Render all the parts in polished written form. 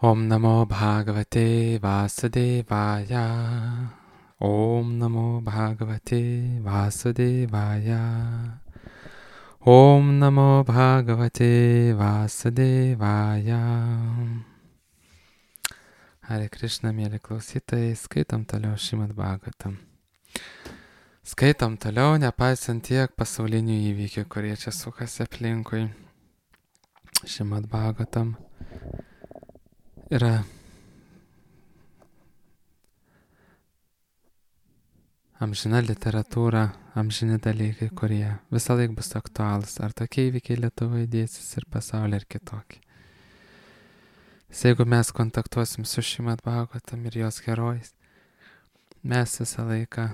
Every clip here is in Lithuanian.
Om Namo Bhagavate Vasudevaya. Om Namo Bhagavate Vasudevaya. Om Namo Bhagavate Vasudevaya. Hare Krishna, mėly klausytojai, skaitom toliau Šrimad Bhagavatam. Skaitom toliau, nepaisant tiek pasaulinių įvykių, kurie čia sukasi aplinkui. Šrimad Bhagavatam yra amžina literatūra, amžini dalykai, kurie visą laiką bus aktualūs. Ar tokie įvykiai Lietuvoje dėsis ir pasaulyje, ar kitokie. Jeigu mes kontaktuosim su Šrimad Bhagavatam ir jos herojais, mes visą laiką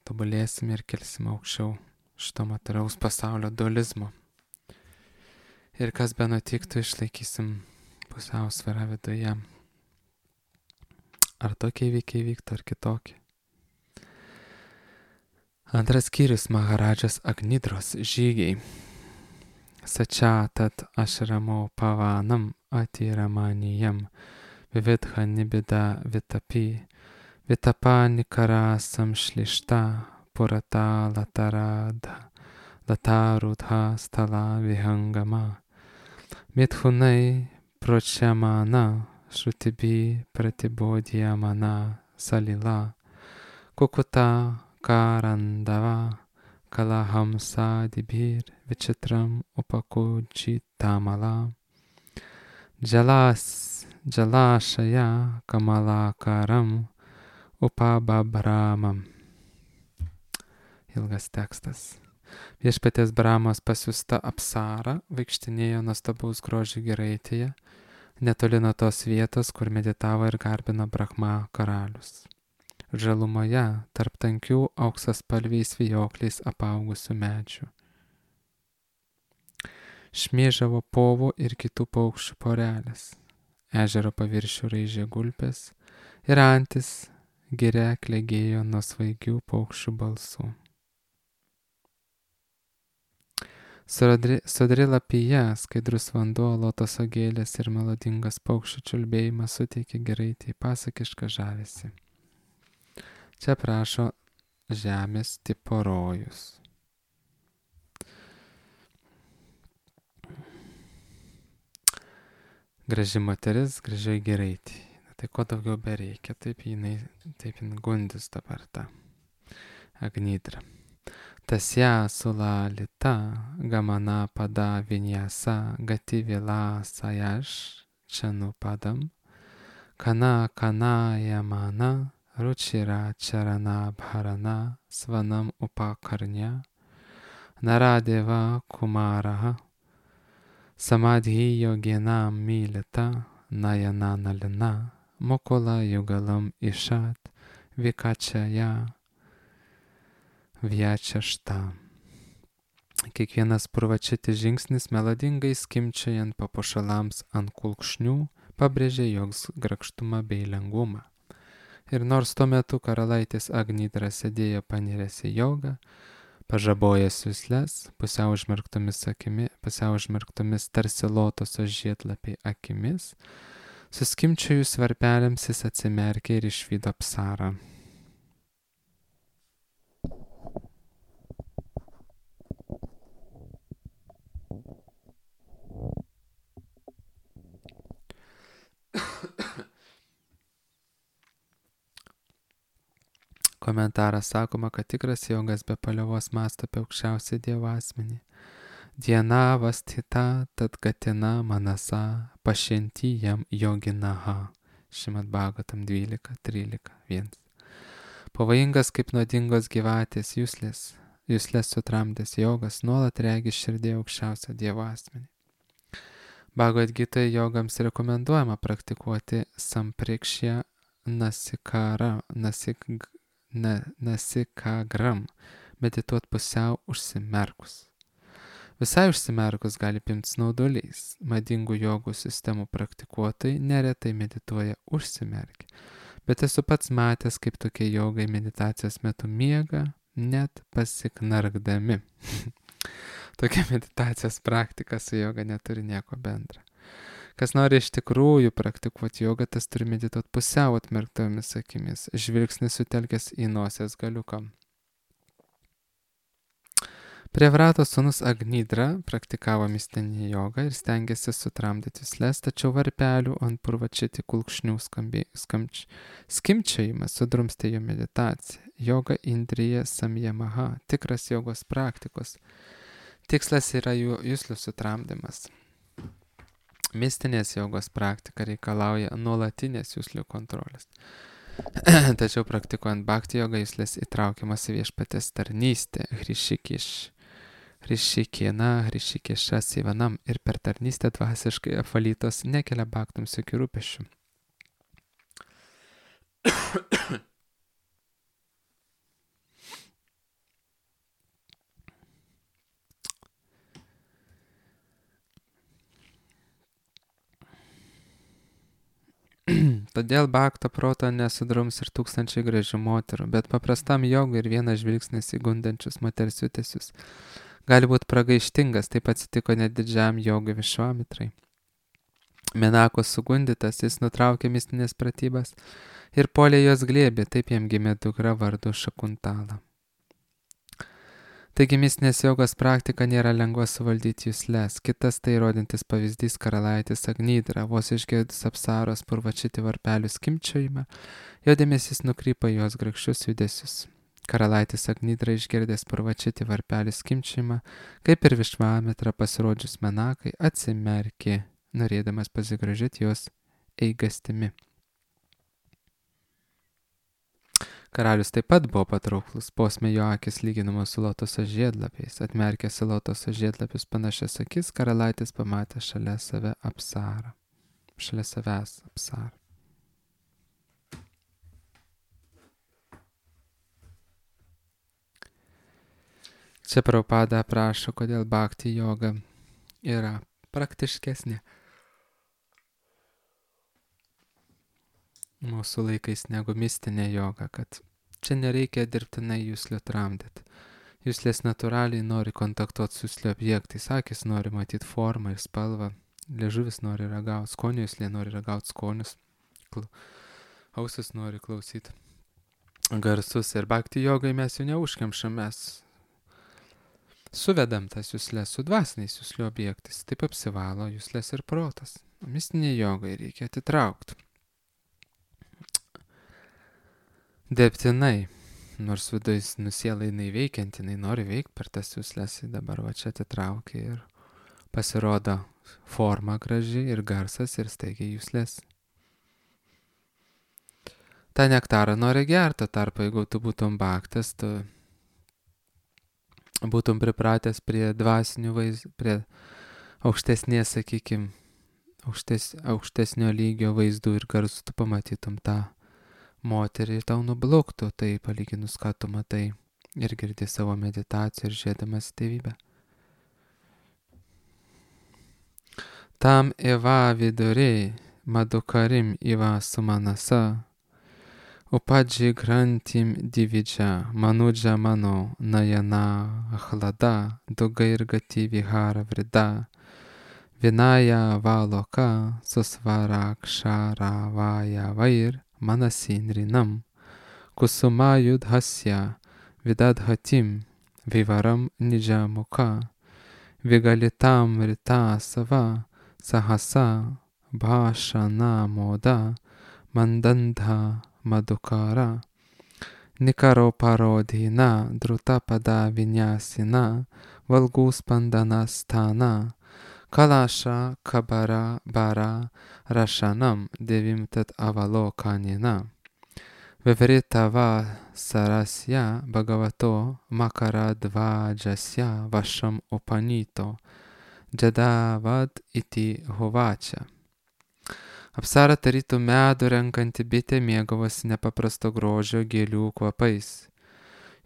tobulėsim ir kelsim aukščiau šito materialaus pasaulio dualizmo. Ir kas be nutiktų, išlaikysim pusiausvyrą viduje. Ar tokie įvykiai vyktų, ar kitokie. Antras skyrius - Maharadžas Agnidros žygiai. Sačatat ašramo pavanam atiramanijam vividha nibida vitapi vitapa nikara samšlišta purata lataradha latarudha stala vihangama mithunai pročyamana šrutibi pratibodhyamana salila kukuta karandava kalahamsa dibir vichitram upakujitamala jalashaya kamalakaram upababramam. Ilgas tekstas. Viešpaties Brahmos pasiųsta Apsara vaikštinėjo nuostabaus grožio giraitėje, netoli nuo tos vietos, kur meditavo ir garbino Brahma karalius. Žalumoje tarp tankių auksaspalviais vijokliais apaugusių medžių. Šmėžavo povų ir kitų paukščių porelės. Ežero paviršių raižė gulbės ir antis giria klegėjo nuo svaigių paukščių balsų. Sodri lapija, skaidrus vanduo, lotoso gėlės ir melodingas paukščių čiulbėjimas suteikė giraitei pasakišką žavesį. Čia prašo žemės tipo rojus. Graži moteris, gražiai giraitė. Tai ko daugiau bereikia, taip jinai gundis dabar ta Agnidra. Tasya sulalita gamana pada vinyasa gati vila sayash chanu padam kana yamana ruchira charana bharana svanam upakarnya naradeva kumaraha samadhi yoginam milita nayana nalina mukula yugalam ishat vikachaya vyačešta. Kiekvienas purvačiti žingsnis melodingai skimčiojant papuošalams ant kulkšnių pabrėžė jos grakštumą bei lengvumą. Ir nors tuo metu karalaitis Agnidra sėdėjo paniręs į jogą, pažabojęs jusles, pusiau užmerktomis tarsi lotoso žiedlapiai akimis, suskimčiojus varpeliams jis atsimerkė ir išvydo Apsarą. Komentaras sakoma, kad tikras jogas be paliovos mąsto apie aukščiausią Dievo asmenį. Diena vastita tad gatina manasa pašinti jam joginaha. Šrimad Bhagavatam 12:13:1. Pavojingas kaip nuodingos gyvatės juslės sutramdęs jogas nuolat regi širdį aukščiausią Dievo asmenį. Bhagavad Gitoje jogams rekomenduojama praktikuoti samprikšya nasikagram, medituot pusiau užsimerkus. Visai užsimerkus gali pimti snaudulys. Madingų jogų sistemų praktikuotojai neretai medituoja užsimerkę. Bet esu pats matęs, kaip tokie jogai meditacijos metu miega, net pasiknarkdami. Tokia meditacijos praktika su joga neturi nieko bendra. Kas nori iš tikrųjų praktikuoti jogą, tas turi medituoti pusiau atmerktomis akimis, žvilgsnis sutelkęs į nosies galiuką. Prievrato sūnus Agnidra praktikavo mistinį jogą ir stengėsi sutramdyti jusles, tačiau varpelių ant purvačiti kulkšnių skimčiojimas sudrumstė jo meditaciją. Joga Indrija Samyamaha, tikras jogos praktikos. Tikslas yra jų juslių sutramdymas. Mistinės jogos praktika reikalauja nuolatinės juslių kontrolės. Tačiau praktikuojant bhakti jogą juslės įtraukiamas į viešpatės tarnystę, Hrishikėša Sivanam ir per tarnystę dvasiškai apvalytos nekelia bhaktams jokių rūpesčių. Todėl bhakto proto nesudrums ir tūkstančiai gražių moterų, bet paprastam jogui ir vienas žvilgsnis į gundančius moters judesius gali būti pragaištingas, taip atsitiko net didžiam jogui Višvamitrai. Menakos sugundytas, jis nutraukė mistinės pratybas ir puolė jos glėbį, taip jam gimė dukra vardu Šakuntala. Taigi mistinės jogos praktika nėra lengva suvaldyti jusles. Kitas tai rodintis pavyzdys karalaitis Agnidra, vos išgirdus apsaros purvačiti varpelių skimčiojimą, jo dėmesys nukrypo į jos grakščius judesius. Karalaitis Agnidra išgirdęs purvačiti varpelių skimčiojimą, kaip ir Višvamitra pasirodžius Menakai, atsimerkė, norėdamas pasigrožėti jos eigastimi. Karalius taip pat buvo patrauklus, posme jo akis lyginamos su lotoso žiedlapiais. Atmerkęs į lotoso žiedlapius panašias akis, karalaitis pamatė šalia savęs apsarą. Čia Prabhupada aprašo, kodėl bhakti joga yra praktiškesnė mūsų laikais negu mistinė joga, kad čia nereikia dirbtinai juslių tramdyti. Juslės natūraliai nori kontaktuoti su juslių objektais, akis nori matyti formą ir spalvą, liežuvis nori ragauti skonių, juslė nori ragauti skonius, ausis nori klausyti garsus. Ir bhakti jogai mes jų neužkemšam, mes suvedam tas juslės su dvasiniais juslių objektais, taip apsivalo juslės ir protas. Mistinė jogai reikia atitraukti. Dirbtinai, nors viduje nusiela jinai veikianti, jinai nori veikti per tas jusles, dabar va čia atitraukia ir pasirodo forma graži ir garsas ir staigiai jusles. Ta nektarą nori gerti, tarp jeigu tu būtum bhaktas, tu būtum pripratęs prie dvasinių vaizdų, prie aukštesnės, sakykime, aukštesnio lygio vaizdų ir garsų, tu pamatytum tą moterį ir tau nubloktų tai palyginus, ką tu matai ir girdi savo meditaciją ir žiūrėdamas tėvybę. Tam eva viduriai madukarim iva sumanasa upadži grantim dividža manudža mano najana achlada dugairgati vihara vrida vinaya valoka susvarakshara vaya vair Manasinrinam, kusuma yudhasya, vidadhatim, vivaram nijamuka, vigalitam rita sava, sahasa, bhashana moda, mandandha madukara, nikaro parodhina, drutapada vinyasina, valguspandana Kalasha kabara bara rashanam devimtat avalokanina. Vivritava sarasya bhagavato makara dvajasya vasham upanito. Jadavad iti hovačia. Apsara tarytų medų renkanti bitė mėgavosi nepaprasto grožio gėlių kvapais.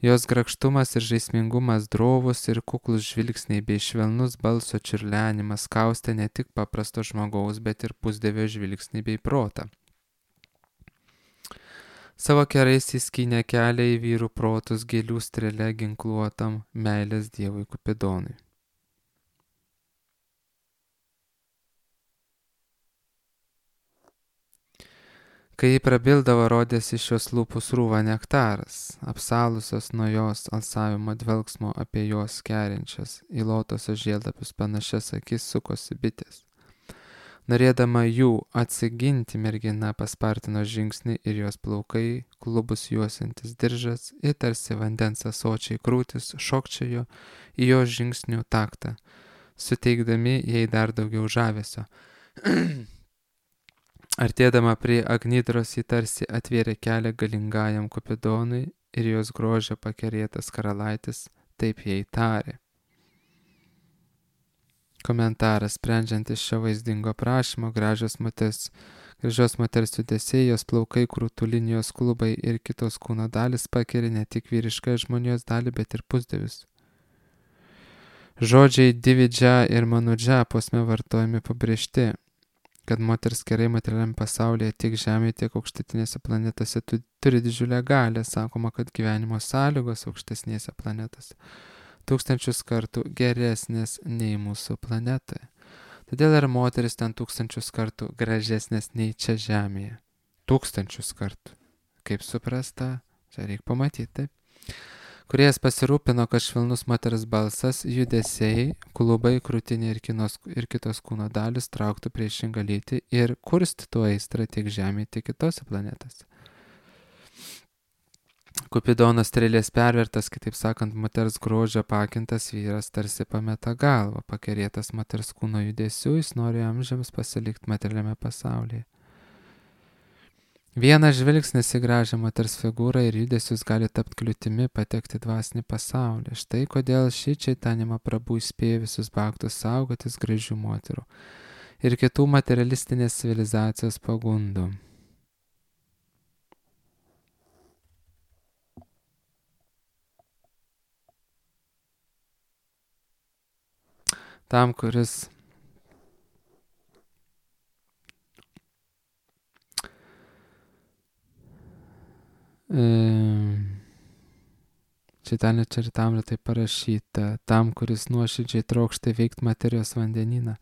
Jos grakštumas ir žaismingumas, drovus ir kuklus žvilgsniai bei švelnus balso čiurlenimas kaustė ne tik paprasto žmogaus, bet ir pusdievio žvilgsnį bei protą. Savo kerais įskynė kelią į vyrų protus gėlių strėle ginkluotam meilės dievui Kupidonui. Kai ji prabildavo, rodėsi iš jos lūpų srūva nektaras, apsalusios nuo jos alsavimo dvelgsmo apie jos kerinčias, į lotosios žiedlapius panašias akis sukosi bitės. Norėdama jų atsiginti, mergina paspartino žingsnį ir jos plaukai, klubus juosintis diržas ir tarsi vandens ąsočiai krūtis šokčiojo į jos žingsnių taktą, suteikdami jai dar daugiau žavesio. Artėdama prie Agnidros ji tarsi atvėrė kelią galingajam Kupidonui ir jos grožio pakerėtas karalaitis taip jai tarė. Komentaras: sprendžiant iš šio vaizdingo prašymo, gražios moters judesiai, jos plaukai, krūtų linijos, klubai ir kitos kūno dalis pakeria ne tik vyrišką žmonijos dalį, bet ir pusdievius. Žodžiai dividžia ir manudžia posme vartojami pabrėžti, kad moters kerai materialiam pasaulyje tiek Žemėje, tiek aukštutinėse planetose turi didžiulę galią. Sakoma, kad gyvenimo sąlygos aukštesnėse planetose 1000 kartų geresnės nei mūsų planetoje. Todėl ir moteris ten 1000 kartų gražesnės nei čia Žemėje. 1000 kartų. Kaip suprasta, čia reikia pamatyti, taip. Kuriejas pasirūpino, kad švelnus moters balsas, judesiai, klubai, krūtinė ir kitos kūno dalis trauktų priešingą lytį ir kurstytų aistrą tiek Žemėje, tiek kitose planetose. Kupidono strėlės pervertas, kitaip sakant, moters grožio pakintas vyras tarsi pameta galvą, pakerėtas moters kūno judesių, jis nori amžiams pasilikti materialiame pasaulyje. Vienas žvilgsnis į gražią moters figūrą ir judesius gali tapti kliūtimi patekti dvasinį pasaulį. Štai kodėl ši Čaitanima Prabhu įspėja visus bhaktus saugotis gražių moterų ir kitų materialistinės civilizacijos pagundų. Tam, kuris Čaitanio Čaritamrite parašyta, tam, kuris nuoširdžiai trokšta veikti materijos vandenyną,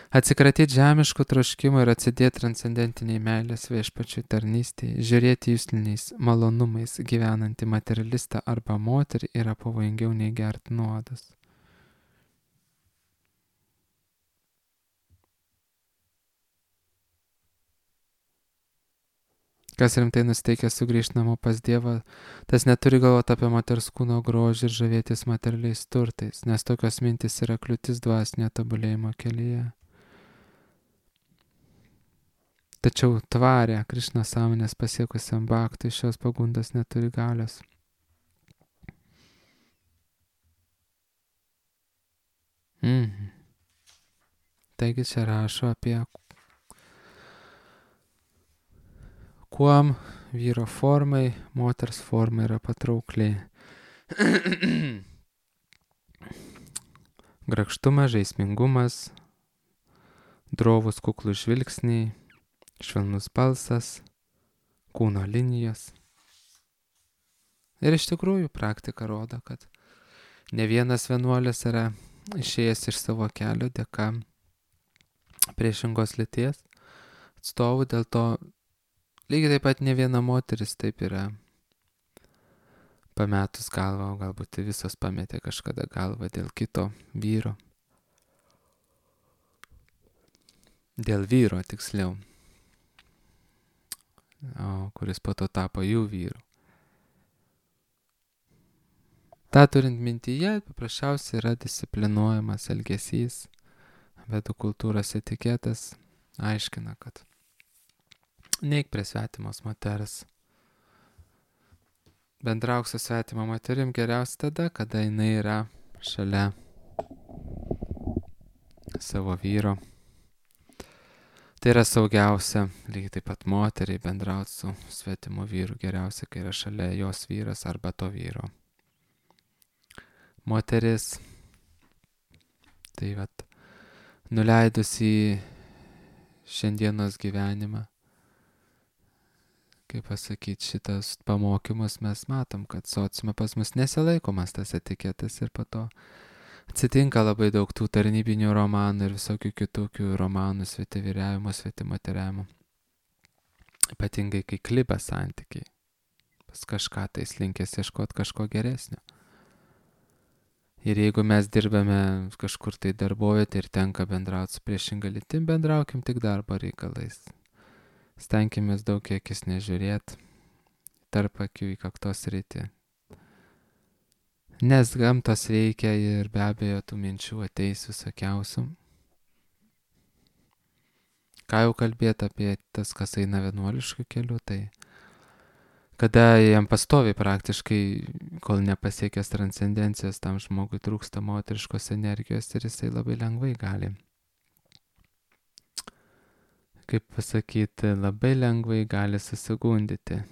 atsikratyti žemiškų troškimų ir atsidėti transcendentiniai meilės viešpačiui tarnystėje, žiūrėti jusliniais malonumais gyvenantį materialistą arba moterį yra pavojingiau nei gerti nuodus. Kas rimtai nusteikęs sugrįžti namo pas Dievą, tas neturi galvoti apie moters kūno grožį ir žavėtis materialiais turtais, nes tokios mintis yra kliūtis dvasinio tobulėjimo kelyje. Tačiau tvarę Krišnos sąmonės pasiekusiam bhaktui šios pagundos neturi galios. Taigi čia rašo apie kuom vyro formai, moters forma yra patraukli. Grakštumas, žaismingumas, drovus kuklus žvilgsniai, švelnus balsas, kūno linijos. Ir iš tikrųjų praktika rodo, kad ne vienas vienuolis yra išėjęs iš savo kelio dėka priešingos lyties atstovų, dėl to lygiai taip pat ne viena moteris taip yra pametus galvą, o galbūt visos pametė kažkada galvą dėl kito vyro. Dėl vyro tiksliau, kuris po to tapo jų vyru. Ta turint mintyje, paprasčiausiai yra disciplinuojamas elgesys, vedų kultūros etiketas aiškina, kad neik prie svetimos moters. Bendrauk su svetima moterim geriausia tada, kada jinai yra šalia savo vyro. Tai yra saugiausia, lygiai taip pat moteriai bendrauti su svetimu vyru geriausia, kai yra šalia jos vyras arba to vyro moteris. Tai vat, nuleidus į šiandienos gyvenimą, kaip pasakyti, šitas pamokymus mes matom, kad sociume pas mus nesilaikomas tas etiketas ir po to atsitinka labai daug tų tarnybinių romanų ir visokių kitokių romanų, svetivyriavimo, svetimateriavimo. ypatingai kai kliba santykiai. Pas kažką tai linkęs ieškoti kažko geresnio. Ir jeigu mes dirbame kažkur tai darbovietėje ir tenka bendrauti su priešinga lytim, bendraukim tik darbo reikalais. Stenkimės daug į akis nežiūrėti, tarp akių į kaktos rytį. Nes gamtos reikia ir be abejo tų minčių ateis visokiausių. Ką jau kalbėti apie tas, kas eina vienuoliškų kelių, tai kada jam pastoviai praktiškai, kol nepasiekęs transcendencijos, tam žmogui trūksta moteriškos energijos ir jisai labai lengvai gali. Kaip pasakyti, labai lengvai gali susigundyti.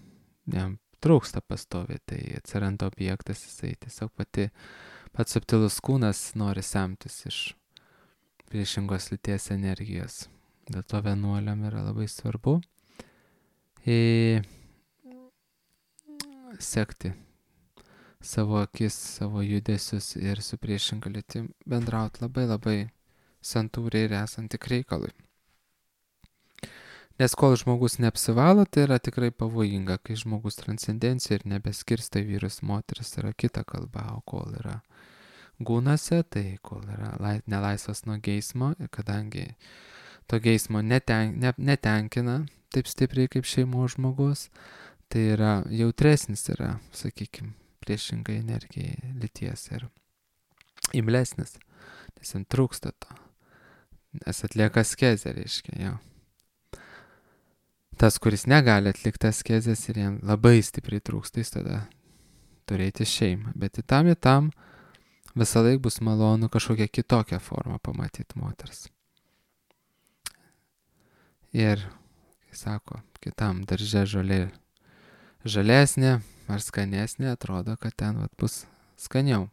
Jam trūksta pastoviai, tai atsiranda objektas, jisai tiesiog pats subtilus kūnas nori semtis iš priešingos lyties energijos. Dėl to vienuoliam yra labai svarbu sekti savo akis, savo judesius ir su priešinga lytim bendrauti labai santūriai ir esant tik reikalui. Nes kol žmogus neapsivalo, tai yra tikrai pavojinga, kai žmogus transcendencija ir nebeskirsta į vyrus, moteris, yra kita kalba, o kol yra gūnose, tai kol yra nelaisvas nuo geismo, ir kadangi to geismo netenkina taip stipriai kaip šeimos žmogus, tai yra jautresnis, yra, sakykime, priešingai energijai lyties ir imlesnis, nes jam trūksta to, nes atlieka askezę, reiškia, jau. Tas, kuris negali atlikti askezės ir jam labai stipriai trūksta, jis tada turėti šeimą. Bet į tam visą laiką bus malonu kažkokią kitokią formą pamatyti moters. Ir, kai sako, kitam darže žolė žalesnė ar skanesnė, atrodo, kad ten bus skaniau.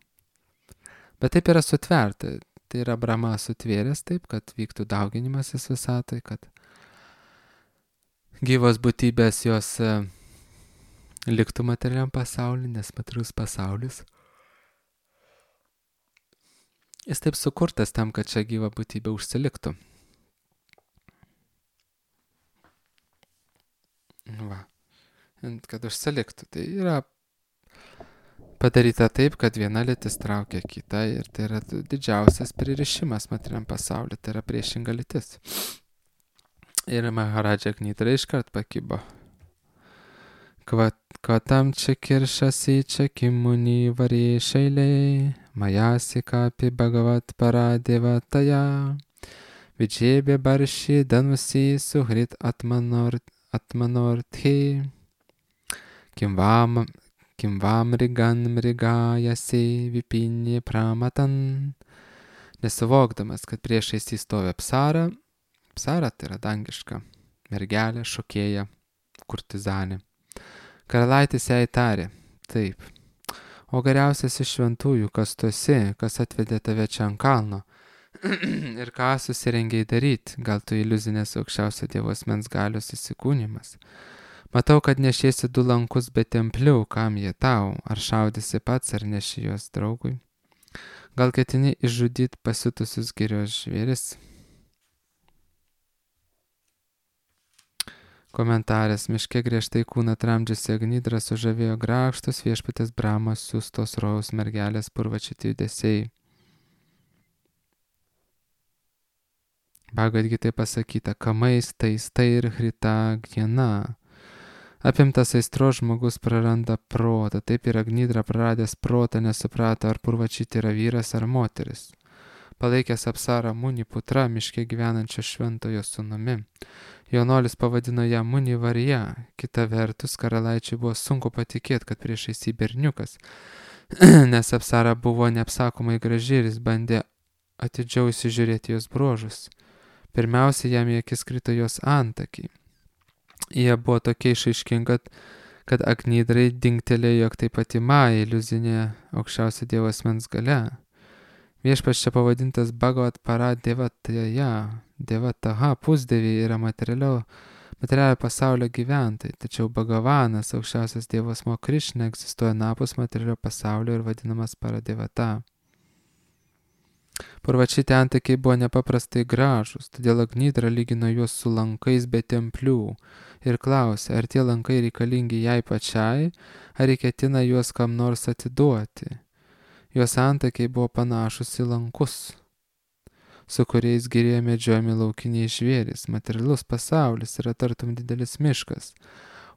Bet taip yra sutverta. Tai yra Brahma sutvėręs taip, kad vyktų dauginimasis visatoj, kad gyvos būtybės jos liktų materialiam pasauliu, nes materialus pasaulis jis taip sukurtas tam, kad čia gyva būtybė užsiliktų. Va. Kad užsiliktų. Tai yra padaryta taip, kad viena lytis traukia kitą ir tai yra didžiausias pririšimas materialiam pasauliu, tai yra priešinga lytis. Ir Maharadža Gnidra iškart pakibo. Kvatam čia kiršasi čia kimuni varė šeiliai, majasi kapi bhagavat paradevataja, vidžėbė barši danusi suhrit atmanorthi, kimvam rigan mrigajasi vipinė pramatan. Nesuvokdamas, kad priešais įstovė Apsara, Apsara tai yra dangiška mergelė, šokėja, kurtizanė. Karalaitis jai tarė, taip, o geriausias iš šventųjų, kas tu esi, kas atvedė tave čia ant kalno ir ką susirengiai daryti, gal tu iliuzinės aukščiausio Dievo asmens galios įsikūnimas. Matau, kad nešiesi 2 lankus be templių, kam jie tau, ar šaudysi pats, ar neši juos draugui. Gal ketini išžudyti pasiutusius girios žvėris? Komentaras: miške griežtai kūną tramdžiusi Gnidra sužavėjo grakštus viešpatės Brahmos siųstos rojaus mergelės purvačiti judesiai. Bhagavad Gita pasakyta: kamais taistai ir hrita gjana. Apimtas aistros žmogus praranda protą. Taip ir Gnidra praradęs protą nesuprato, ar purvačiti yra vyras ar moteris. Palaikęs Apsarą Muni Putra, miške gyvenančio šventojo sūnumi, jaunuolis pavadino ją Muni Varja. Kita vertus, karalaičiui buvo sunku patikėti, kad priešais jį berniukas, nes Apsara buvo neapsakomai graži ir jis bandė atidžiau įsižiūrėti jos bruožus. Pirmiausia, jam į akis krito jos antakiai. Jie buvo tokie išaiškingi, kad Gnidrai dingtelėjo, jog tai pati Maja, iliuzinė aukščiausio Dievo asmens galia. Viešpats čia pavadintas Bhagavat paradevataja. Devataha pusdieviai yra materialio pasaulio gyventojai, tačiau Bhagavanas, aukščiausias Dievo asmuo Krišna, egzistuoja napus materialio pasaulio ir vadinamas paradevata. Purvačiti antakiai buvo nepaprastai gražus, todėl Agnidra lygino juos su lankais be templių ir klausė, ar tie lankai reikalingi jai pačiai, ar ketina juos kam nors atiduoti. Jos antakiai buvo panašus į lankus, su kuriais girijoje medžiojami laukiniai žvėrys. Materialus pasaulis yra tartum didelis miškas,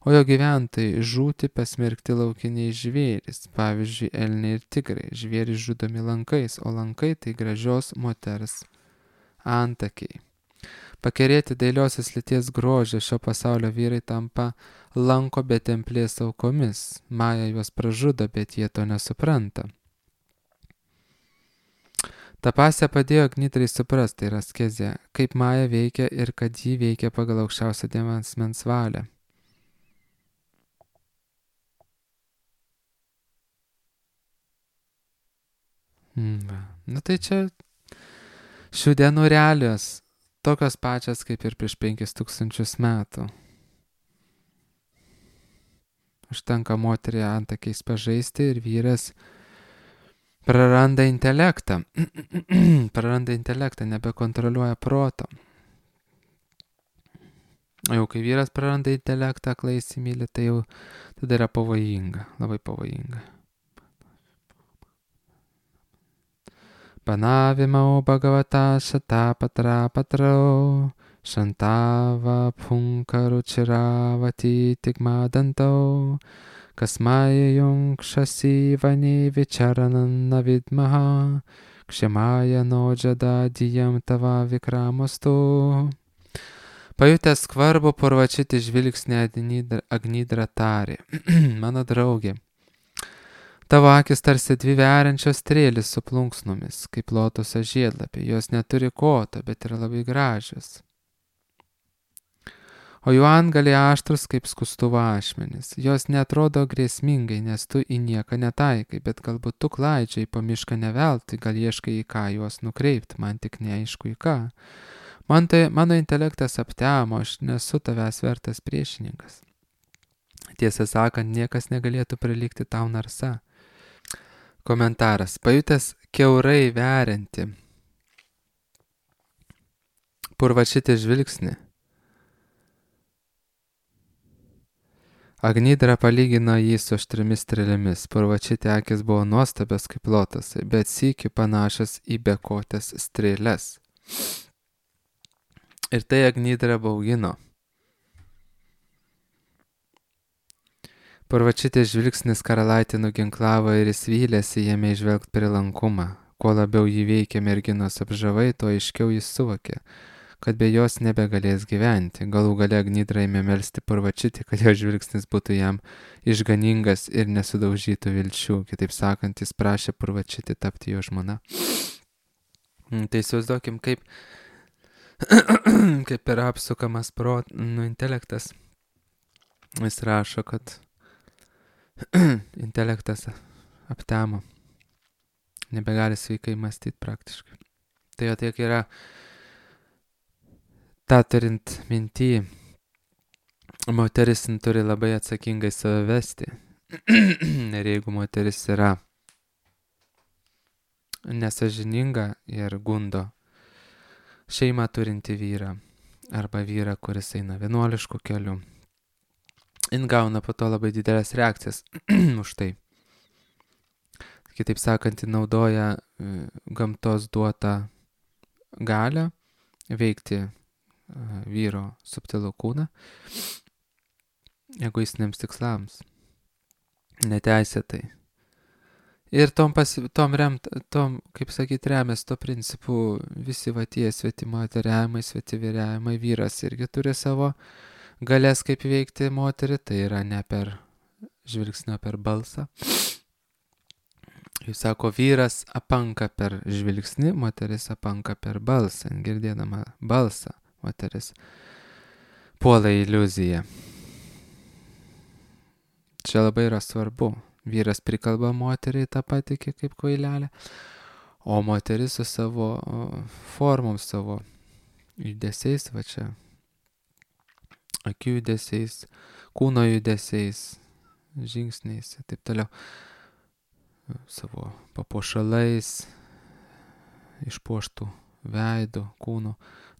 o jo gyventojai žūti pasmerkti laukiniai žvėrys, pavyzdžiui, elniai ir tigrai. Žvėrys žudomi lankais, o lankai tai gražios moters antakiai. Pakerėti dailiosios lyties grožio šio pasaulio vyrai tampa lanko be templės aukomis. Maja juos pražudo, bet jie to nesupranta. Ta pasė padėjo Agnidrai suprasti, tai yra askezė, kaip Maja veikia ir kad ji veikia pagal aukščiausią Dievo asmens valią. Tai čia šių dienų realijos, tokios pačios kaip ir prieš 5000 metų. Užtenka moterį antakiais pažaisti ir vyras praranda intelektą. Nebekontroliuoja proto. O jau kai vyras praranda intelektą, aklai įsimyli, tai jau tada yra pavojinga, labai pavojinga. Panavimau Bhagavata Shatapatra Patrau Shantava Punkaru Chiravati Tigmadantau Kasmaya Yungshasi Vani Vicharanana Vidmaha Kshemaya Nojada Diyam Tava Vikramostu. Pajutęs skvarbų Purvačiti žvilgsnį Agnidra tarė, mano draugė, tavo akis tarsi dvi veriančios strėlės su plunksnomis, kaip lotoso žiedlapiai. Jos neturi koto, bet yra labai gražios. O jų antgaliai aštrus kaip skustuvo ašmenys. Jos netrodo grėsmingai, nes tu į nieką netaikai, bet galbūt tu klaidžiai po mišką neveltui, gal ieškai į ką juos nukreipti, man tik neaišku į ką. Mano intelektas aptemo, aš nesu tavęs vertas priešininkas. Tiesą sakant, niekas negalėtų prilygti tau narsa. Komentaras. Pajutęs kiaurai verianti Purvačiti žvilgsnį, Agnidra palygino jį su aštrimis strėlėmis. Purvačiti akis buvo nuostabios kaip lotosai, bet sykiu panašios į bekotės strėles. Ir tai Agnidra baugino. Purvačiti žvilgsnis karalaitį nuginklavo ir jis vylėsi jame įžvelgti prilankumą. Kuo labiau jį veikė merginos apžavai, tuo aiškiau jis suvokė, kad be jos nebegalės gyventi. Galų gale Agnidra ėmė melsti Purvačiti, kad jo žvilgsnis būtų jam išganingas ir nesudaužytų vilčių. Kitaip sakant, jis prašė Purvačiti tapti jo žmona. Tai įsivaizduokim, kaip yra apsukamas intelektas. Jis rašo, kad intelektas aptemo. Nebegali sveikai mąstyti praktiškai. Tai jo tiek yra tą turint minty, moteris turi labai atsakingai save vesti. Ir jeigu moteris yra nesąžininga ir gundo šeimą turinti vyrą arba vyrą, kuris eina vienuolišku keliu, jin gauna po to labai didelės reakcijas už tai. Kitaip sakant, jin naudoja gamtos duotą galią veikti vyro subtilų kūną egoistiniams tikslams, neteisėtai. Ir kaip sakyt, remės to principu visi va tie svetimoteriavimai, svetivyriavimai. Vyras irgi turi savo galės kaip veikti moterį, tai yra ne per žvilgsnio, per balsą. Jis sako, vyras apanka per žvilgsnį, moteris apanka per balsą. Girdėdama balsą, moteris puola iliuziją. Čia labai yra svarbu. Vyras prikalba moteriai tą patikį kaip kvailelę, o moteris su savo formom, savo judesiais, va čia, akių judesiais, kūno judesiais, žingsniais ir taip toliau, savo papuošalais išpuoštų veidų, kūnų,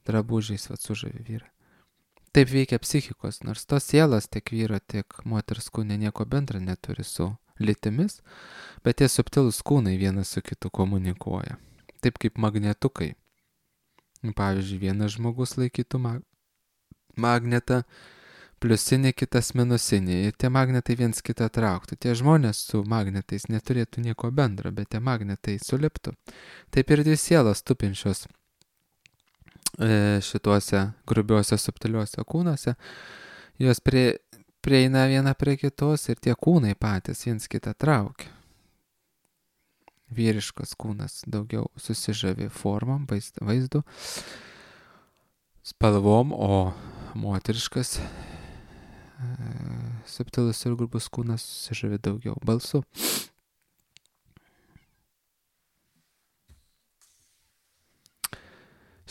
drabužiais sužavi vyrai. Taip veikia psichikos, nors tos sielos tiek vyro, tiek moters kūne nieko bendra neturi su lytimis, bet tie subtilūs kūnai vienas su kitu komunikuoja. Taip kaip magnetukai. Pavyzdžiui, vienas žmogus laikytų magnetą pliusinį, kitas minusinį, ir tie magnetai viens kitą trauktų. Tie žmonės su magnetais neturėtų nieko bendro, bet tie magnetai suliptų. Taip ir dvi sielos tupinčios šituose grubiuose subtiliuose kūnuose, jos prieina viena prie kitos ir tie kūnai patys viens kitą traukia. Vyriškas kūnas daugiau susižavi formom, vaizdu, spalvom, o moteriškas subtilus ir grubus kūnas susižavi daugiau balsu.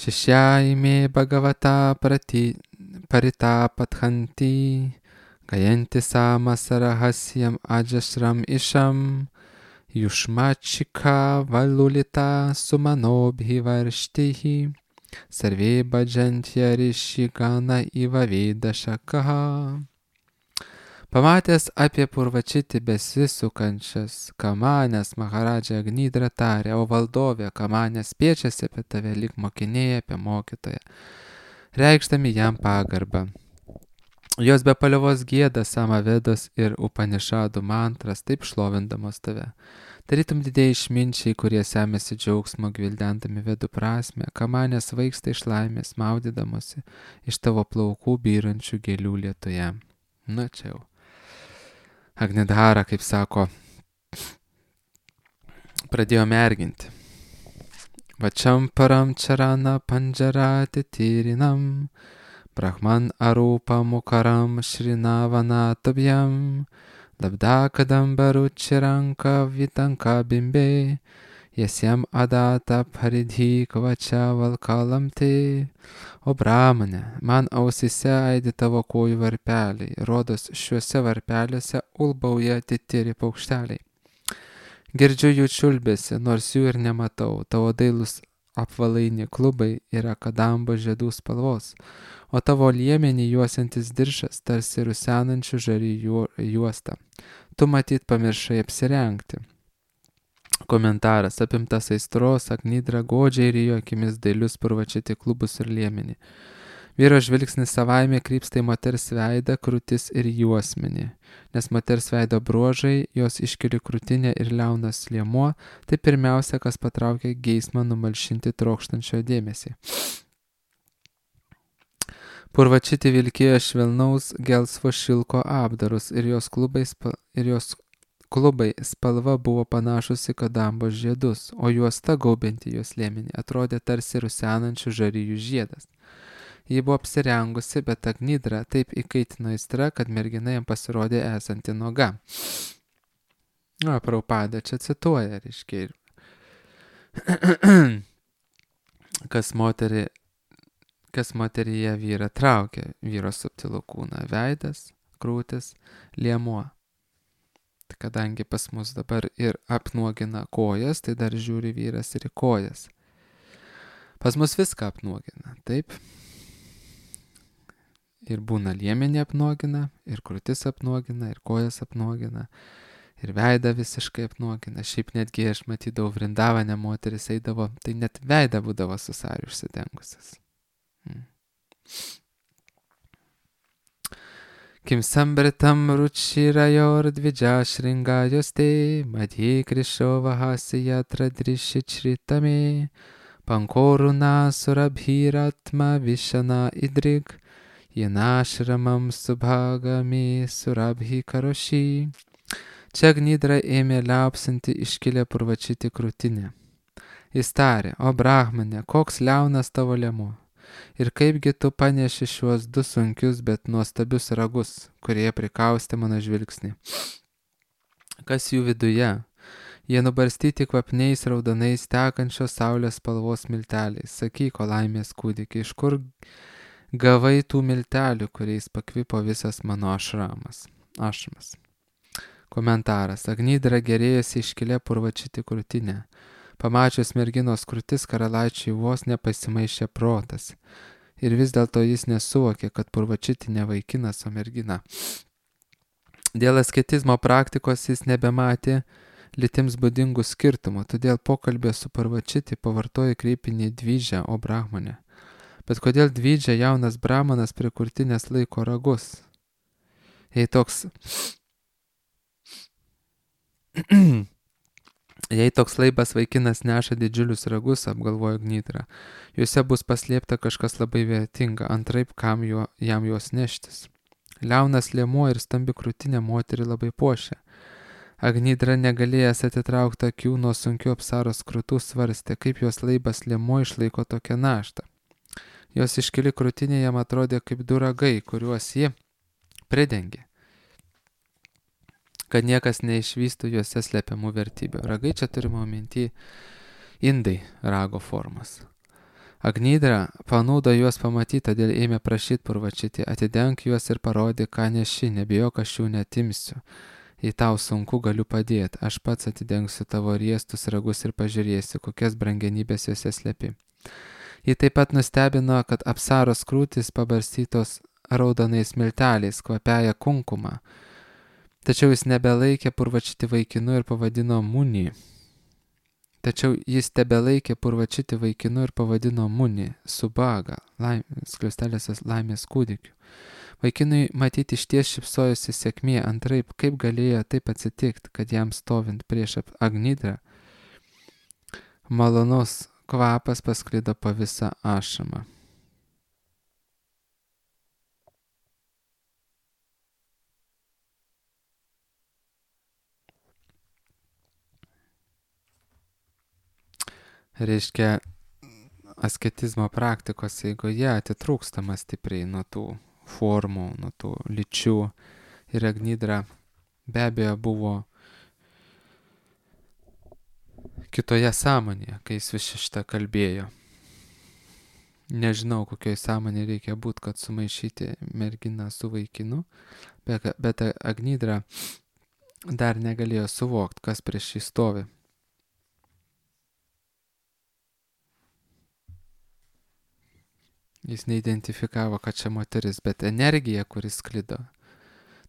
Šešyaime Bhagavata paritapathanti gayanti samasarahasyam ajashram isham yushmachika valulita sumanobhivarshtihi sarve bhajantya rishigana iva vedashakaha. Pamatęs apie Purvačitį besisukančias Kamanės, Maharadža Agnidra tarė: o valdovė, Kamanės spiečiasi apie tave lyg mokiniai apie mokytoją, reikšdami jam pagarbą. Jos be paliovos gieda Samavedos ir Upanišadų mantras, taip šlovindamos tave. Tarytum didieji išminčiai, kurie semėsi džiaugsmo gvildendami vedų prasmę, Kamanės svaigsta iš laimės, maudydamosi iš tavo plaukų byrančių gėlių lietuje. Nu čia jau. Agnidhara, kaip sako, pradėjo merginti. Vačiam param čarana pandžarati tyrinam, brahman arūpa mukaram šrinavana tabjam, labdakadam baručiranka vitanka bimbe, jasiem adata paridhi kvačia valkalamte. O Brahmane, man ausise aidi tavo kojų varpeliai, rodos šiuose varpeliuose ulbauja titiri paukšteliai. Girdžiu jų čiulbėsi, nors jų ir nematau, tavo dailus apvalaini klubai yra kadambo žiedų spalvos, o tavo liemenį juosiantis diržas tarsi rusenančių žarijų juosta. Tu matyt pamiršai apsirengti. Komentaras: apimtas aistros, Agnidra godžiai rijo akimis dailius Purvačitį klubus ir liemenį. Vyro žvilgsnis savaime krypsta į moters veidą, krūtis ir juosmenį, nes moters veido bruožai, jos iškili krūtinė ir liaunas liemuo, tai pirmiausia, kas patraukia geismą numalšinti trokštančio dėmesį. Purvačitį vilkėjo švelnaus gelsvo šilko apdarus ir jos klubai spalva buvo panašus į kadambos žiedus, o juosta gaubianti jos liemenį atrodė tarsi rusenančių žarijų žiedas. Ji buvo apsirengusi, bet Agnidra taip įkaitino aistra, kad mergina jam pasirodė esanti nuoga. Prabhupada čia cituoja, reiškia, kas moteryje vyrą traukia, vyro subtilų kūną, veidas, krūtis, liemuo. Kadangi pas mus dabar ir apnuogina kojas, tai dar žiūri vyras ir į kojas. Pas mus viską apnuogina, taip? Ir būna liemenį apnuogina, ir krūtis apnuogina, ir kojas apnuogina, ir veidą visiškai apnuogina. Šiaip netgi aš matydavau Vrindavane, moteris eidavo, tai net veidą būdavo su sariu užsidengusias. Kim sambritam ručirayor dvidžašringajoste, madhye krishovahasya tradrishichritame, pankoruna surabhiratma vishana idrig, jenashramam subhagame surabhi karoshi. Čia Agnidra ėmė liaupsinti iškilę Purvačitį krūtinę. Jis tarė: o Brahmane, koks liaunas tavo liemuo. Ir kaipgi tu paneši šiuos du sunkius, bet nuostabius ragus, kurie prikaustė mano žvilgsnį. Kas jų viduje? Jie nubarstyti kvapniais raudonais tekančios saulės spalvos milteliais. Sakyk, o laimės kūdikį, iš kur gavai tų miltelių, kuriais pakvipo visas mano ašramas? Komentaras: Agnidra gerėjosi iškilę Purvačitį krūtinę. Pamačius merginos krūtis, karalaičiui vos nepasimaišė protas. Ir vis dėlto jis nesuvokė, kad Purvačiti ne vaikinas, o mergina. Dėl asketizmo praktikos jis nebematė lytims būdingų skirtumų, todėl pokalbė su Purvačiti pavartojo kreipinį dvidžia, o brahmonė. Bet kodėl dvidžia jaunas brahmanas prie krūtinės laiko ragus? Jei toks laibas vaikinas neša didžiulius ragus, apgalvojo Gnidra, juose bus paslėpta kažkas labai vertinga, antraip kam jam juos neštis. Liaunas liemuo ir stambi krūtinė moterį labai puošia. Gnidra negalėjęs atitraukti akių nuo sunkių apsaros krūtų svarstė, kaip jos laibas liemuo išlaiko tokią naštą. Jos iškili krūtinė jam atrodė kaip du ragai, kuriuos ji pridengė, kad niekas neišvystų juose slepiamų vertybių. Ragai čia turime minty indai rago formas. Gnidra panūdo juos pamatyti, todėl ėmė prašyti Purvačiti, atidenk juos ir parodė, ką neši, nebijok, aš jų netimsiu. Jei tau sunku, galiu padėti, aš pats atidengsiu tavo riestus ragus ir pažiūrėsiu, kokias brangenybės juose slepi. Jį taip pat nustebino, kad apsaros krūtis pabarstytos raudonais milteliais, kvapiaja kunkumą. Tačiau jis nebelaikė Purvačiti vaikinu ir pavadino Muni. Subaga, skliaustelėsios laimės kūdikiu. Vaikinui matyti išties šypsojosi sėkmė, antraip kaip galėjo taip atsitikti, kad jam stovint prieš Gnidrą malonus kvapas pasklido po visą ašamą. Reiškia, asketizmo praktikos eigoje atitrūkstama stipriai nuo tų formų, nuo tų lyčių. Ir Gnidra be abejo buvo kitoje sąmonėje, kai jis vis šitą kalbėjo. Nežinau, kokioj sąmonė reikia būti, kad sumaišyti merginą su vaikinu, bet Gnidra dar negalėjo suvokti, kas prieš jį stovi. Jis neidentifikavo, kad čia moteris, bet energija, kuris sklido.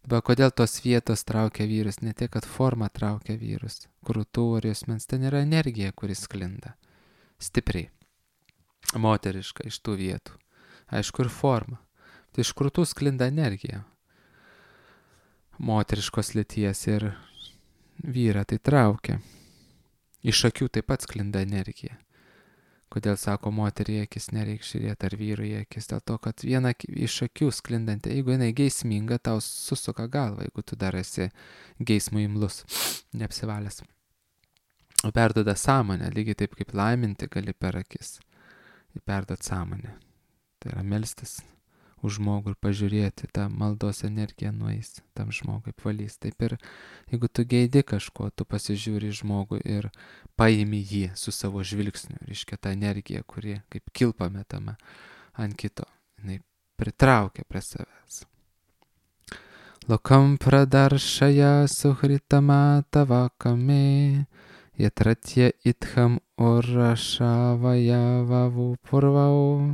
Bet kodėl tos vietos traukia vyrus? Ne tiek, kad forma traukia vyrus. Krūtų ar juosmens, ten yra energija, kuris sklinda. Stipriai. Moteriška iš tų vietų. Aišku, ir forma. Tai iš krūtų sklinda energija. Moteriškos lyties ir vyrą tai traukia. Iš akių taip pat sklinda energija. Kodėl sako, moteriai akis nereik žiūrėti ar vyrui akis, dėl to, kad viena iš akių sklindanti, jeigu jinai geisminga, tau susuka galvą, jeigu tu dar esi geismų imlus, neapsivalęs. O perduoda sąmonę, lygiai taip kaip laiminti gali per akis. Perduot sąmonę. Tai yra melstis už žmogų ir pažiūrėti, tą maldos energiją nueis, tam žmogui apvalys. Taip ir jeigu tu geidi kažko, tu pasižiūri žmogų ir paimi jį su savo žvilgsniu. Reiškia tą energiją, kuri kaip kilpa metama ant kito. Jinai pritraukia prie savęs. Lokam pradaršaja suhritama tavakame, yatratya itham urrašavaya vavu purvau.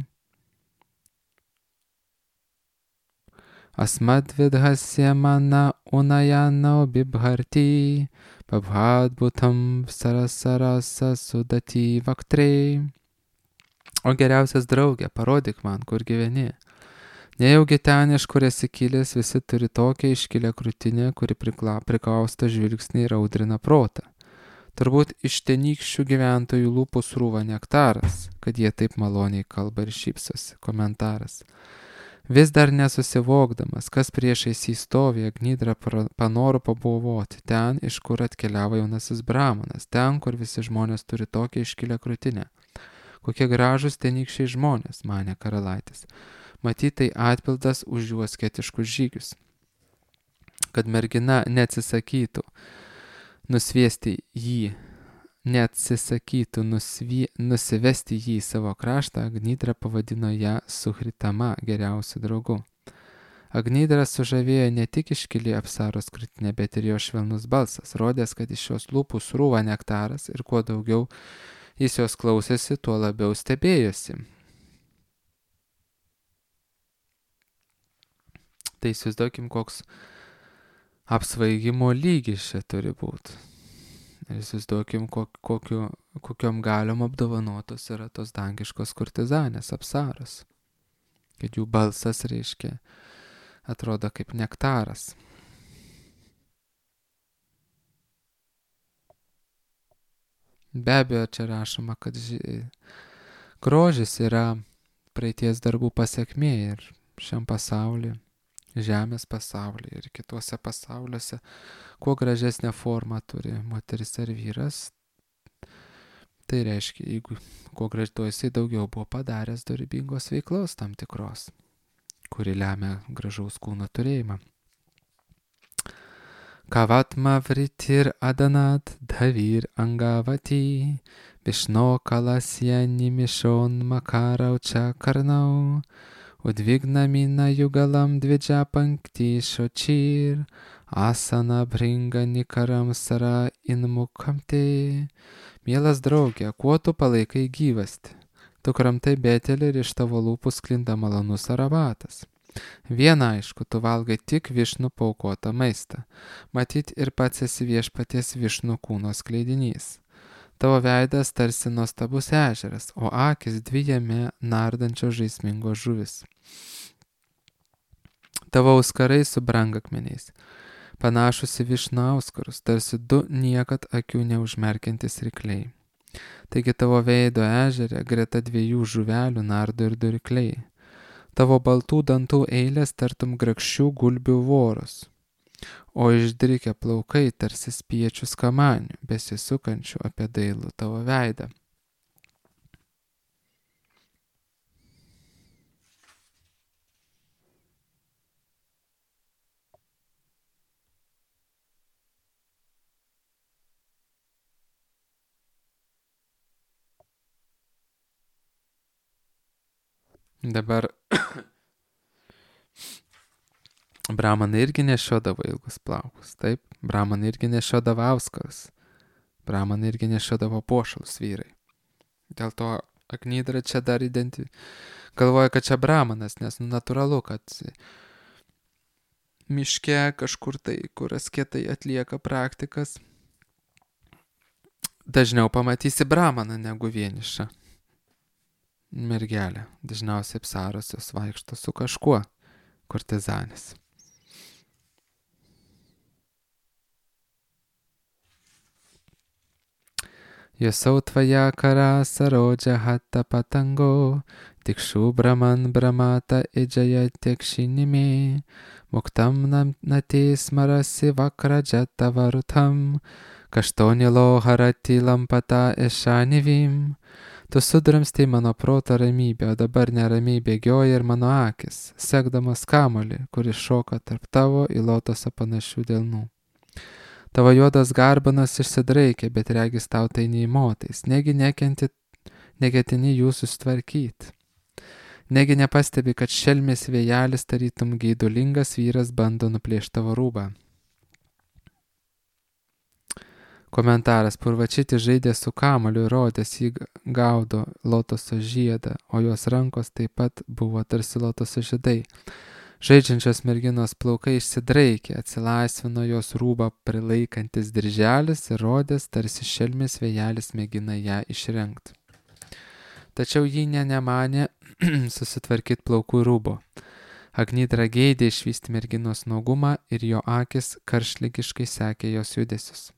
Asmadvidhasya mana unayana bibharti, pabhadbutam sarasarasa sudati vaktrei. O geriausias draugė, parodyk man, kur gyveni. Nejaugi ten, iš kur esi kilęs, visi turi tokią iškilę krūtinę, kuri prikausto žvilgsnį ir audrina protą. Turbūt iš tenykščių gyventojų lūpų srūva nektaras, kad jie taip maloniai kalba ir šypsosi. Komentaras. Vis dar nesusivokdamas, kas priešais jį stovi, Gnidra panoro pabuvoti ten, iš kur atkeliavo jaunasis brahmanas, ten, kur visi žmonės turi tokią iškilę krūtinę. Kokie gražūs tenykščiai žmonės, manė karalaitis. Matyt, tai atpildas už jų asketiškus žygius. Kad mergina neatsisakytų nusivesti jį į savo kraštą, Gnidra pavadino ją Suhritama, geriausiu draugu. Agnydrą sužavėjo ne tik iškili Apsaros krūtinė, bet ir jo švelnus balsas, rodęs, kad iš jos lūpų srūva nektaras ir kuo daugiau jis jos klausėsi, tuo labiau stebėjosi. Tai įsivaizduokim, koks apsvaigimo lygis čia turi būti. Ir įsivaizduokim, kokiom galiom apdovanotos yra tos dangiškos kurtizanės Apsaros. Kad jų balsas, reiškia, atrodo kaip nektaras. Be abejo, čia rašoma, kad grožis yra praeities darbų pasekmė ir šiam pasaulyje, žemės pasaulyje ir kituose pasauliuose, kuo gražesnę formą turi moteris ar vyras, tai reiškia, jeigu kuo gražto jisai daugiau buvo padaręs dorybingos veiklos tam tikros, kuri lemia gražaus kūno turėjimą. Kavatma vritir adanat dhavir angavati Vishno kalasya nimishon makaraučia karnau Udvignamina yugalam dvidžia pankti šočir Asana bringa nikaram sara inmukamte. Mielas draugė, kuo tu palaikai gyvasti? Tu kramtai betelį ir iš tavo lūpų sklinda malonus aromatas. Viena aišku, tu valgai tik višnų paaukotą maistą. Matyt ir pats esi viešpaties višnų kūno skleidinys. Tavo veidas tarsi nuostabus ežeras, o akis dvi jame nardančios žaismingos žuvis. Tavo auskarai su brangakmeniais, panašus į višnų auskarus, tarsi du niekad akių neužmerkiantis rykliai. Taigi tavo veido ežere greta dviejų žuvelių nardo ir du rykliai. Tavo baltų dantų eilės tartum grakščių gulbių voros, o išdrikę plaukai tarsi spiečių skamanių, besisukančių apie dailų tavo veidą. Dabar Brahmanai irgi nešiodavo ilgus plaukus, taip? Brahmanai irgi nešiodavo auskarus. Brahmanai irgi nešiodavo puošalus vyrai. Dėl to Agnydra čia dar galvoja, kad čia Brahmanas, nes natūralu, kad miške kažkur tai, kur asketai atlieka praktikas, dažniau pamatysi Brahmaną negu vienišą mergelę. Dažniausiai Apsaros jos vaikšto su kažkuo, kurtizanės. Yosau tvaja kara sarodžia hatta patango, tikshu brahman brahmata ejaya tekšinimi, muktam nati smarasi vakrajata varutam, kaštonilo harati lampata ešanivim. Tu sudramstai mano proto ramybę, o dabar neramiai bėgioja ir mano akis, sekdamas kamuolį, kuris šoka tarp tavo į lotosą panašių delnų. Tavo juodas garbanas išsidraikė, bet regis tau tai neįmotais, negi neketini jų susitvarkyti. Negi nepastebi, kad šelmės vėjelis tarytum geidulingas vyras bando nuplėšti tavo rūbą. Komentaras: Purvačiti žaidė su kamuoliu ir rodės jį gaudo lotoso žiedą, o jos rankos taip pat buvo tarsi lotoso žiedai. Žaidžiančios merginos plaukai išsidraikė, atsilaisvino jos rūbą prilaikantis dirželis ir rodės, tarsi šelmės vėjelis mėgina ją išrengti. Tačiau ji nemanė susitvarkyti plaukų rūbo. Agnydra geidė išvysti merginos nuogumą ir jo akis karštligiškai sekė jos judesius.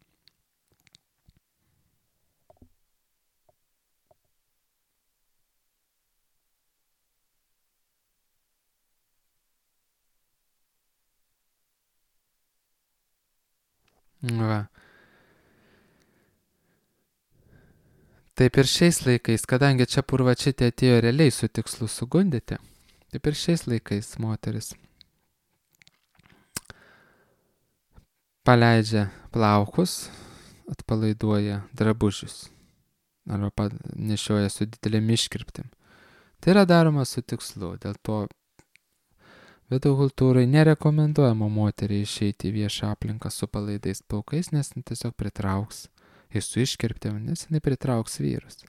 Va. Taip ir šiais laikais, kadangi čia Purvačitė atėjo realiai su tikslu sugundyti, taip ir šiais laikais moteris paleidžia plaukus, atpalaiduoja drabužius arba nešioja su didelėm iškirptim. Tai yra daroma su tikslu, dėl to Vedų kultūrai nerekomenduojama moteriai išeiti į viešą aplinką su palaidais plaukais, nes tiesiog pritrauks. Ir su iškirptėm, nes jinai pritrauks vyrus.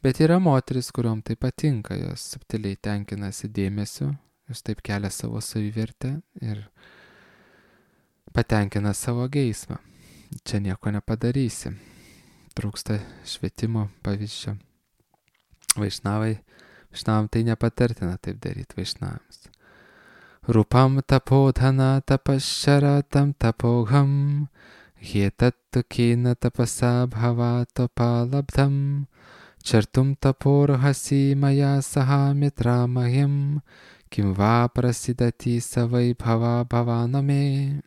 Bet yra moteris, kuriuom tai patinka, jos subtiliai tenkinasi dėmesiu, jos taip kelia savo savivertę ir patenkina savo geismą. Čia nieko nepadarysi. Trūksta švietimo pavyzdžio. Vaišnavam tai nepatartina taip daryti vaišnavams. Rupam tapodhana tapašaratam tapogham hietattu kina tapasa bhavato palabdham chartum taporhasi maya saha mitramahim kim va prasidati savai bhava bhavaname.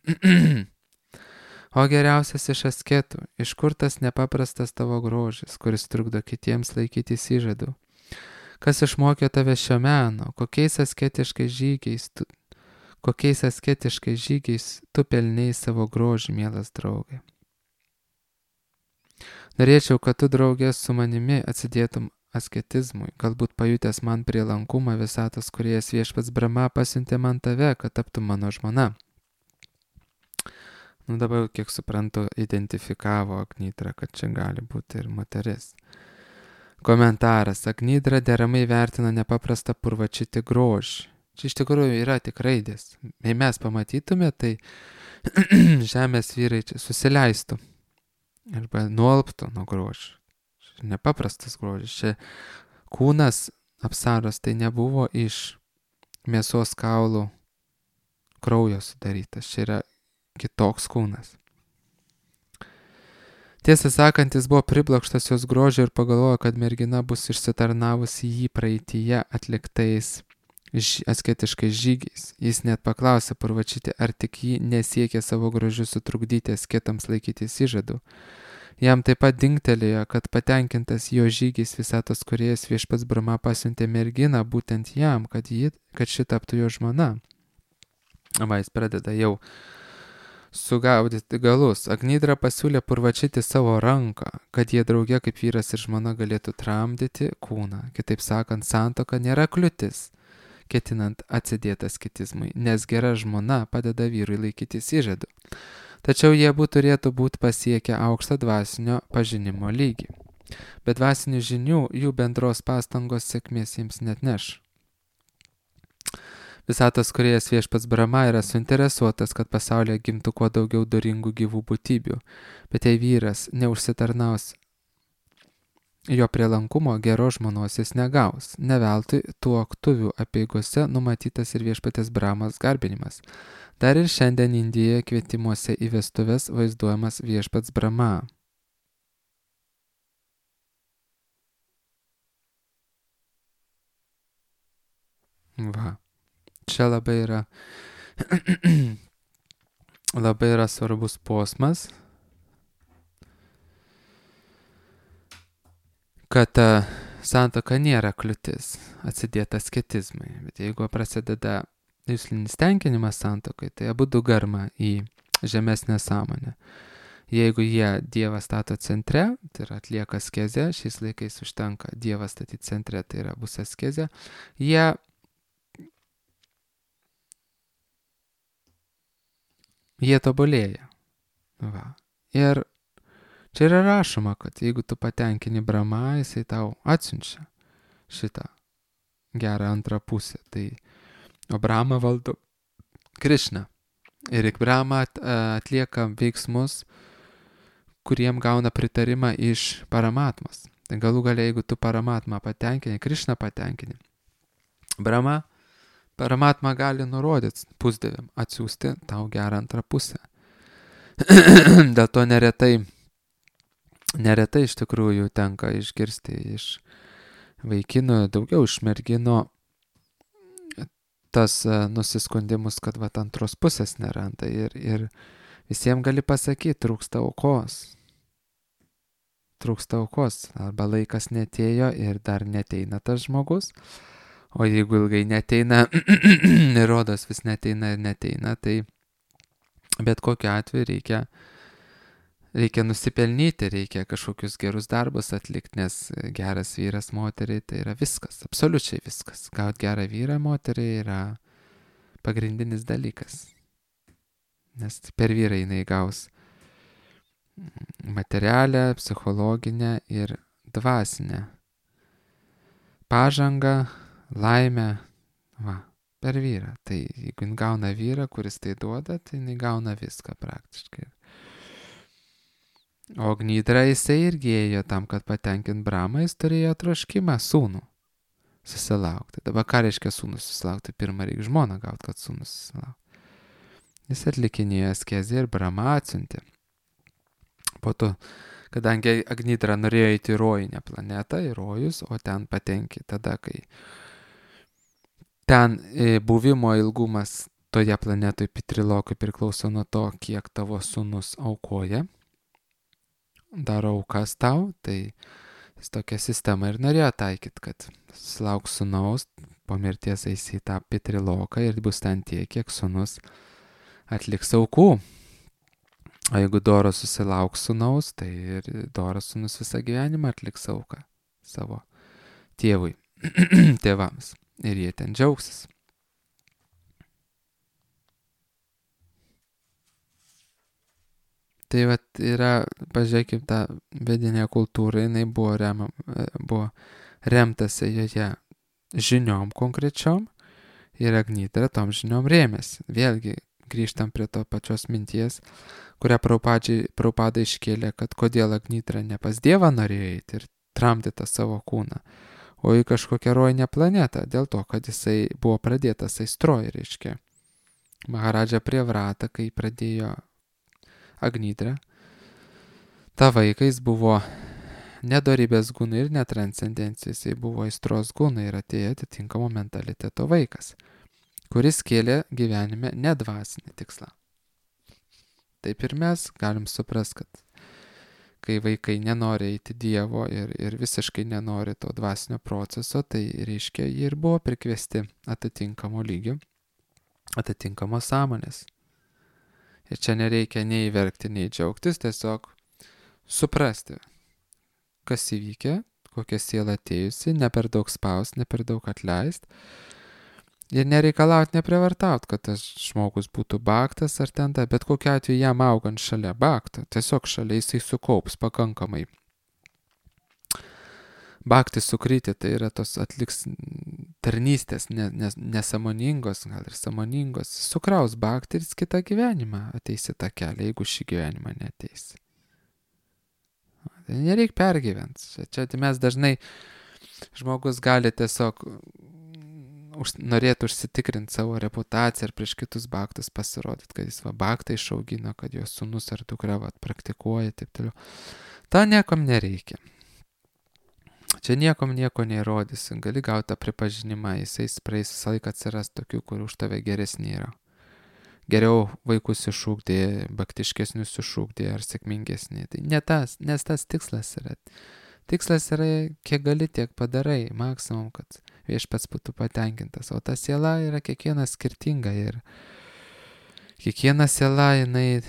O geriausias iš asketų, iš kur tas nepaprastas tavo grožis, kuris trukdo kitiems laikytis įžadų? Kas išmokė tave šio meno, kokiais asketiškais žygiais tu pelnei savo grožį, mielas draugė? Norėčiau, kad tu, draugė, su manimi atsidėtum asketizmui, galbūt pajutęs man prielankumą visatos kūrėjas viešpats Brahma pasiuntė man tave, kad taptum mano žmona. Dabar, kiek suprantu, identifikavo Agnidra, kad čia gali būti ir moteris. Komentaras. Agnidra deramai vertina nepaprastą Purvačiti grožį. Čia iš tikrųjų yra tik raidės. Jei mes pamatytume, tai žemės vyrai čia susileistų arba nuolptų nuo grožio. Nepaprastas grožis. Čia kūnas apsaros tai nebuvo iš mėsos kaulų kraujo sudarytas. Čia yra kitoks kūnas. Tiesą sakant, jis buvo priblokštas jos grožio ir pagalvojo, kad mergina bus išsitarnavusi jį praeityje atliktais asketiškais žygiais. Jis net paklausė Purvačitį, ar tik jį nesiekė savo grožiu sutrukdyti asketams laikytis įžadų. Jam taip pat dingtelėjo, kad patenkintas jo žygiais visatos kūrėjas viešpats Brahma pasiuntė merginą būtent jam, kad ši taptų jo žmona. Va, jis pradeda jau sugaudyti galus. Agnidra pasiūlė Purvačitį savo ranką, kad jie drauge kaip vyras ir žmona galėtų tramdyti kūną. Kitaip sakant, santuoka nėra kliūtis, ketinant atsidėti asketizmui, nes gera žmona padeda vyrui laikytis įžadų. Tačiau jie turėtų būti pasiekę aukštą dvasinio pažinimo lygį. Be dvasinių žinių jų bendros pastangos sėkmės jiems net neš. Visatos kūrėjas viešpats Brahma yra suinteresuotas, kad pasaulyje gimtų kuo daugiau doringų gyvų būtybių, bet jei vyras neužsitarnaus jo prielankumo, geros žmonos jis negaus. Ne veltui tuoktuvių apeigose numatytas ir viešpatės Brahmas garbinimas. Dar ir šiandien Indijoje kvietimuose į vestuves vaizduojamas viešpats Brahma. Va. Čia labai yra svarbus posmas, kad santuoka nėra kliūtis atsidėti asketizmui. Bet jeigu prasideda juslinis tenkinimas santuokai, tai abu du garma į žemesnę sąmonę. Jeigu Dievą stato centre, tai yra atlieka askezę, šiais laikais užtenka Dievą statyti centre, tai yra bus askezė, jie tobulėja. Va. Ir čia yra rašoma, kad jeigu tu patenkini Brahma, jisai tau atsiunčia šitą gerą antrą pusę. O Brahma valdo Krišną. Ir Brahma atlieka veiksmus, kuriem gauna pritarimą iš Paramatmos. Tai galų galia, jeigu tu Paramatmą patenkini, Krišną patenkini, Paramatma gali nurodyti pusdieviam atsiųsti tau gerą antrą pusę. Dėl to neretai iš tikrųjų tenka išgirsti iš vaikinų, daugiau iš merginų tas nusiskundimus, kad antros pusės neranda. Ir visiems gali pasakyti, trūksta aukos. Arba laikas netėjo ir dar neteina tas žmogus. O jeigu ilgai neteina, rodos vis neteina, tai bet kokiu atveju reikia nusipelnyti, reikia kažkokius gerus darbus atlikti, nes geras vyras moteriai tai yra viskas, absoliučiai viskas. Gauti gerą vyrą moteriai yra pagrindinis dalykas. Nes per vyrą jinai gaus materialę, psichologinę ir dvasinę pažangą, laimę, per vyrą. Tai jeigu jin gauna vyrą, kuris tai duoda, tai jinai gauna viską praktiškai. O Gnidra jisai irgi ėjo tam, kad patenkint Bramą, jis turėjo troškimą sūnų susilaukti. Dabar ką reiškia sūnų susilaukti? Pirmą reikia žmoną gauti, kad sūnų susilaukti. Jis atlikinėjo askezę ir Brama atsiuntė. Po to, kadangi Gnidra norėjo eiti į rojinę planetą, į rojus, o ten patenki tada, kai ten buvimo ilgumas toje planetoje Pitrilokui priklauso nuo to, kiek tavo sūnus aukoja, daro aukas tau, tai jis tokią sistemą ir norėjo taikyti, kad sulauks sūnaus, po mirties eisi į tą Pitriloką ir bus ten tiek, kiek sūnus atliks aukų. O jeigu Doras susilauks sūnaus, tai ir Doras sūnus visą gyvenimą atliks auką savo tėvui, tėvams. Ir jie ten džiaugsis. Tai vat yra, pažiūrėkim, tą vedinę kultūrą, jinai buvo remtasi joje žiniom konkrečiom ir Gnidra tom žiniom rėmėsi. Vėlgi grįžtam prie to pačios minties, kurią Prabhupada iškėlė, kad kodėl Gnidra ne pas Dievą norėjo eiti ir tramdyti savo kūną, o į kažkokią rojinę planetą, dėl to, kad jisai buvo pradėtas aistroj, reiškia. Maharadža Prievratą, kai pradėjo Gnidra, ta vaikais buvo nedorybės gūnai ir netranscendencijos, jisai buvo aistros gūnai ir atėjo atitinkamo mentaliteto vaikas, kuris kėlė gyvenime nedvasinį tikslą. Taip ir mes galim suprast, kad kai vaikai nenori eiti Dievo ir visiškai nenori to dvasinio proceso, tai reiškia, jie ir buvo prikviesti atitinkamo lygio, atitinkamos sąmonės. Ir čia nereikia nei verkti, nei džiaugtis, tiesiog suprasti, kas įvykė, kokia siela atėjusi, ne per daug spaust, ne per daug atleist. Ir nereikalaut, neprivartaut, kad tas žmogus būtų baktas ar ten ta, bet kokiu atveju jam augant šalia bakto, tiesiog šalia jisai sukaups pakankamai. Bakti sukryti, tai yra tos atliks tarnystės, nesąmoningos, gal ir sąmoningos, sukraus bakti ir kitą gyvenimą ateisi tą kelią, jeigu šį gyvenimą neteisi. Tai nereik pergyventi. Čia mes dažnai žmogus gali tiesiog norėtų užsitikrinti savo reputaciją ir prieš kitus baktus pasirodyti, kad jis baktą išaugino, kad jo sūnus ar dukra praktikuoja, taip toliau. Ta niekam nereikia. Čia niekam nieko neįrodysi, gali gauti tą pripažinimą, jisai praeis visą laiką atsiras tokių, kur už tave geresni yra. Geriau vaikus iššūkdė, baktiškesnius iššūkdė ar sėkmingesnį. Tai ne tas, nes tas tikslas yra. Tikslas yra, kiek gali, tiek padarai, maksimum, kad viešpats būtų patenkintas. O ta siela yra kiekviena skirtinga ir kiekviena siela, jinai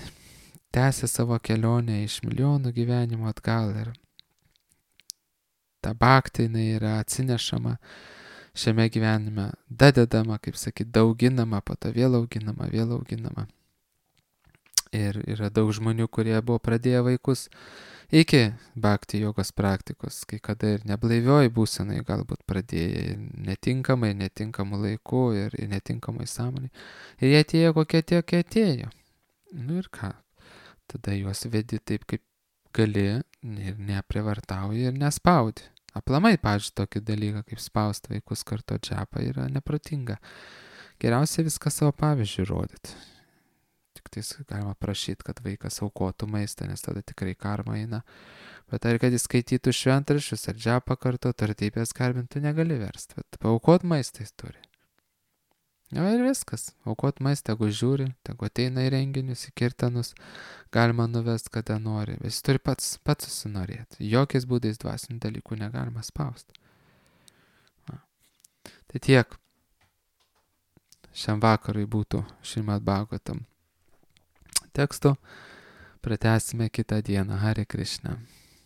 tęsia savo kelionę iš milijonų gyvenimų atgal ir ta bhakti, jinai yra atsinešama šiame gyvenime, dadedama, kaip sakyt, dauginama, po to vėl auginama. Ir yra daug žmonių, kurie buvo pradėję vaikus iki bhakti jogos praktikos, kai kada ir neblaivioj būsenai galbūt pradėję netinkamu laiku ir netinkamai sąmonai. Ir jie atėjo kokie tie atėjo. Nu ir ką? Tada juos vedi taip, kaip gali ir neprivartauji ir nespaudi. Aplamai, pavyzdžiui, tokį dalyką kaip spausti vaikus kartu džapą yra neprotinga. Geriausia viską savo pavyzdžių rodyti. Tik tais galima prašyti, kad vaikas aukotų maistą, nes tada tikrai karma eina. Bet ar kad jis skaitytų šventraščius ar džapą kartu, tartybės garbintų negali versti. Bet paaukot maistą jis turi. Ja, ir viskas. Aukot maistą, tegu žiūri, tegu ateina į renginius, į kirtanus, galima nuvest, kada nori. Jis turi pats susinorėti. Jokiais būdais dvasinių dalykų negalima spausti. Tai tiek. Šiam vakarui būtų Šrimad Bhagavatam teksto. Pratęsime kitą dieną. Hare Krishna.